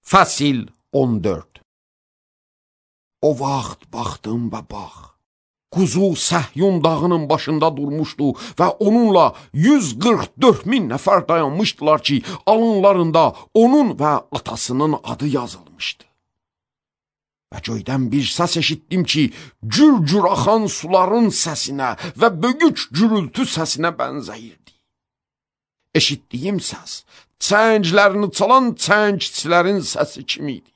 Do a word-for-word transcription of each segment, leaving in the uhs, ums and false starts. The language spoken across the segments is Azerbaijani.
Fəsil on dörd. O vaxt baxdım və bax, Quzu Səhyun dağının başında durmuşdu və onunla yüz qırx dörd min nəfər dayanmışdılar ki, alınlarında onun və atasının adı yazılmışdı. Və göydən bir səs eşitdim ki, cür-cür axan suların səsinə və böyük gürültü səsinə bənzəyirdi. Eşitdiyim səs, çənglərini çalan çəngçilərin səsi kimi idi.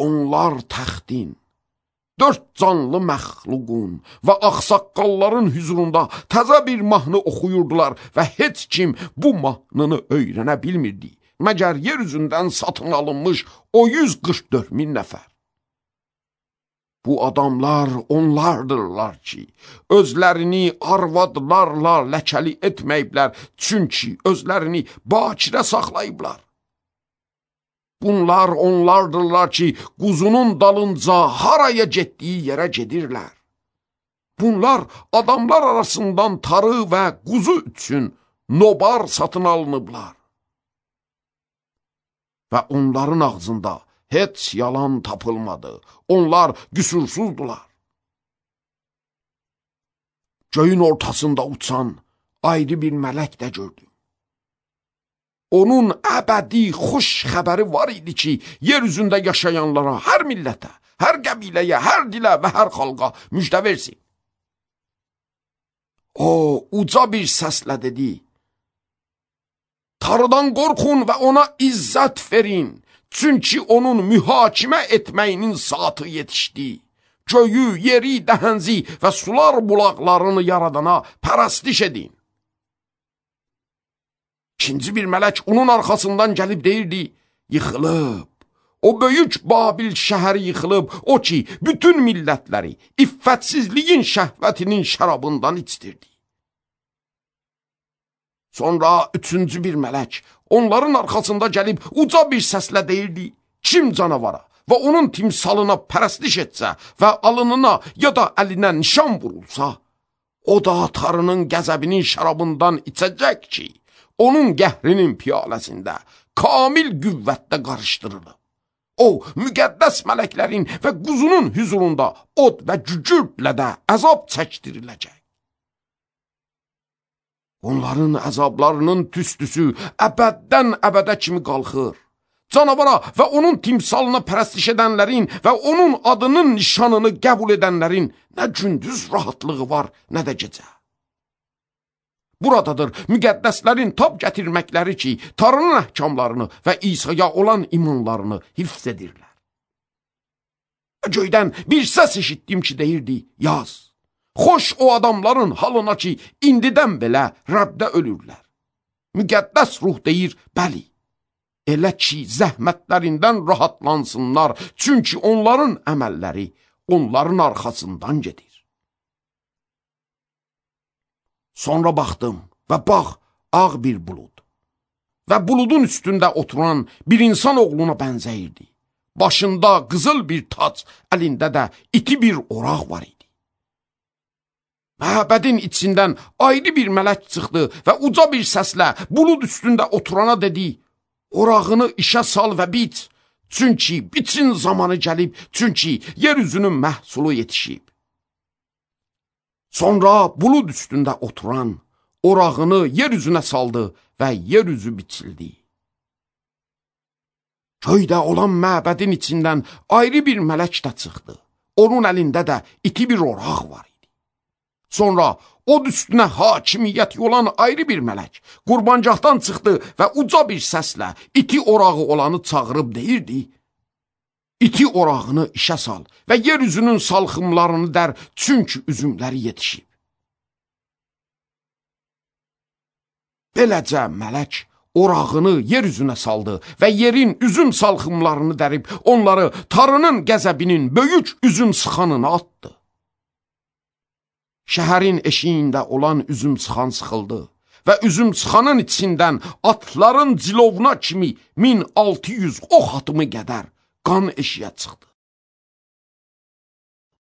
Onlar təxtin, dörd canlı məxluqun və ağsaqqalların hüzurunda təzə bir mahnı oxuyurdular və heç kim bu mahnını öyrənə bilmirdi, məgər yer üzündən satın alınmış o yüz qırx dörd min nəfər. Bu adamlar onlardırlar ki, özlərini arvadlarla ləkəli etməyiblər, çünki özlərini bakirə saxlayıblar. Bunlar onlardırlar ki, quzunun dalınca haraya getdiyi yerə gedirlər. Bunlar adamlar arasından tarı və quzu üçün nobar satın alınıblar. Və onların ağzında heç yalan tapılmadı. Onlar qüsursuzdular. Göyün ortasında uçan ayrı bir mələk də gördüm. Onun əbədi xoş xəbəri var idi ki, yer üzündə yaşayanlara, hər millətə, hər qəbiləyə, hər dilə və hər xalqa müjdə versin. O, uca bir səslə dedi, Tarıdan qorxun və ona izzət verin, çünki onun mühakimə etməyinin saatı yetişdi. Göyü, yeri, dəhənzi və sular bulaqlarını yaradana pərəstiş edin. İkinci bir mələk onun arxasından gəlib deyirdi, yıxılıb, o böyük Babil şəhəri yıxılıb, o ki, bütün millətləri iffətsizliyin şəhvətinin şərabından içdirdi. Sonra üçüncü bir mələk onların arxasında gəlib uca bir səslə deyirdi, kim canavara və onun timsalına pərəstiş etsə və alınına ya da əlinə nişan vurulsa, o da Tarının qəzəbinin şərabından içəcək ki, onun qəhrinin piyaləsində kamil qüvvətdə qarışdırılıb. O, müqəddəs mələklərin və quzunun hüzurunda od və cücürtlə də əzab çəkdiriləcək. Onların əzablarının tüstüsü əbəddən əbədə kimi qalxır. Canavara və onun timsalına pərəstiş edənlərin və onun adının nişanını qəbul edənlərin nə gündüz rahatlığı var, nə də gecə. Buradadır müqəddəslərin tab gətirməkləri ki, Tarının əhkamlarını və İsa'ya olan imanlarını hifz edirlər. Göydən bir səs eşitdim ki, deyirdi, yaz. Xoş o adamların halına ki, indidən belə Rəbdə ölürlər. Müqəddəs ruh deyir, bəli, elə ki, zəhmətlərindən rahatlansınlar, çünki onların əməlləri onların arxasından gedir. Sonra baxdım və bax, ağ bir bulud və buludun üstündə oturan bir insan oğluna bənzəyirdi. Başında qızıl bir tac, əlində də iti bir oraq var idi. Məbədin içindən ayrı bir mələk çıxdı və uca bir səslə bulud üstündə oturana dedi, orağını işə sal və biç, çünki biçin zamanı gəlib, çünki yer üzünün məhsulu yetişib. Sonra bulud üstündə oturan orağını yer üzünə saldı və yer üzü biçildi. Göydə olan məbədin içindən ayrı bir mələk də çıxdı. Onun əlində də iti bir oraq var idi. Sonra od üstünə hakimiyyət olan ayrı bir mələk qurbancaqdan çıxdı və uca bir səslə iti orağı olanı çağırıb deyirdi, İti orağını işə sal və yer üzünün salxımlarını dər, çünki üzümləri yetişib. Beləcə mələk orağını yer üzünə saldı və yerin üzüm salxımlarını dərib, onları Tarının qəzəbinin böyük üzüm sıxanına atdı. Şəhərin eşiyində olan üzüm sıxan sıxıldı və üzüm sıxanın içindən atların cilovuna kimi min altı yüz ox atımı qədər qan eşiyə çıxdı.